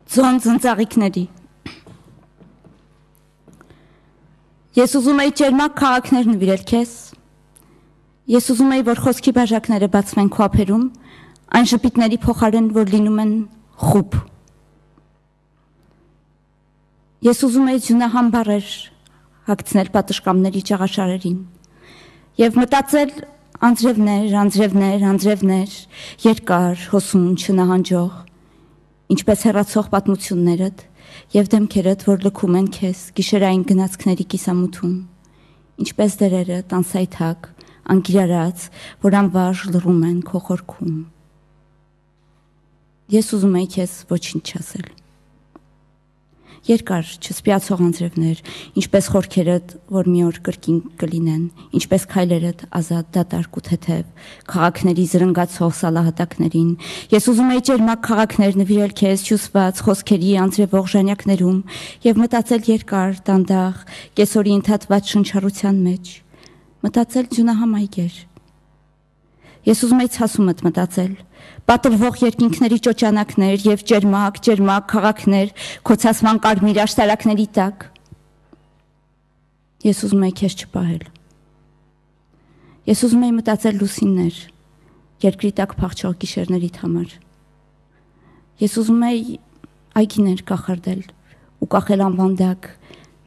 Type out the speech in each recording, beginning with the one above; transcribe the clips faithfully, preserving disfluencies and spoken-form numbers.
Ձոն ծնծաղիկների։ Ես ուզում էի ջերմակ քաղաքներ նվիրել քեզ։ Ես ուզում էի, որ խոսքի բաժակները բացվեն քո ափերում, այն ժպիտների փոխարեն, որ լինում են խուբ։ Ես ուզում էի ձյունահամ բառեր հագցնել պատշգամբների ճաղաշարերին եւ մտածել անձրևներ, անձրևներ, անձրևներ, երկար, հոսուն, չնահանջող, ինչպես հեռացող պատմություններդ եւ դեմքերդ, որ լքում են քեզ գիշերային գնացքների կիսամութում, ինչպես դերերը տանսայթակ, անկիրարած, որ անվարժ լռում են քո խորքում։ Ես ուզում էի քեզ ոչինչ չասել։ Երկար, չսպիացող անձրևներ, ինչպես խորքերդ, որ մի օր կրկին կլինեն, ինչպես քայլերդ ազատ, դատարկ ու թեթև, քաղաքների զրնգացող սալահատակներին։ Ես ուզում էի ջերմակ քաղաքներ նվիրել քեզ հյուսված խոսքերի անձրևող ժանյակներում եւ մտածել երկար, դանդաղ, կեսօրի ընդհատված շնչառության մեջ, մտածել ձյունահամ այգեր։ Ես ուզում էի ցասումդ մտածել, պատրվող երկինքների ճոճանակներ եւ ջերմակ, ջերմակ քաղաքներ, քո ցասման կարմիր աշտարակների տակ։ Ես ուզում էի քեզ չպահել։ Ես ուզում էի մտածել լուսիններ, երկրի տակ փախչող գիշերներիդ համար։ Ես ուզում էի այգիներ կախարդել ու կախել անվանդակ,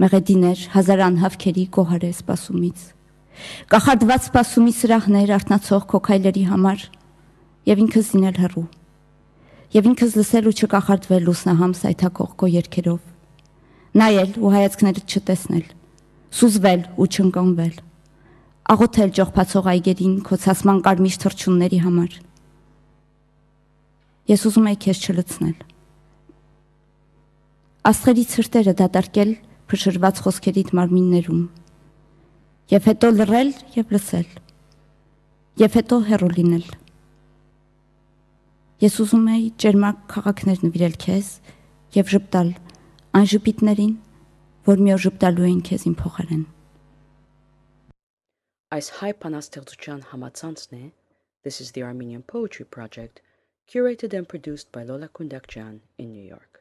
մեղեդիներ, հազար անհավքերի գոհարե սպասումից։ Կախարդված սպասումի սրահներ արթնացող քո քայլերի համար եւ ինքս լինել հեռու եւ ինքս լսել ու չկախարդվել լուսնահամ սայթակող քո երգերով, նայել ու հայացքներդ չտեսնել, սուզվել ու չընկանվել, աղոթել ճողփացող այգերին քո ցասման կարմիր թռչունների համար։ Ես ուզում էի քեզ չլցնել։ Աստղերի ցրտերը դատարկել փշրված խոսքերիդ մարմիններում եւ հետո լռել եւ լսել, եւ հետո հեռու լինել։ Ես ուզում էի ջերմակ քաղաքներ նվիրել քեզ եւ ժպտալ այն ժպիտներին, որ մի օր ժպտալու էին քեզ իմ փոխարեն։ Այս հայ բանաստեղծության համացանցն է This is the Armenian Poetry Project, curated and produced by Lola Kundakjan in New York.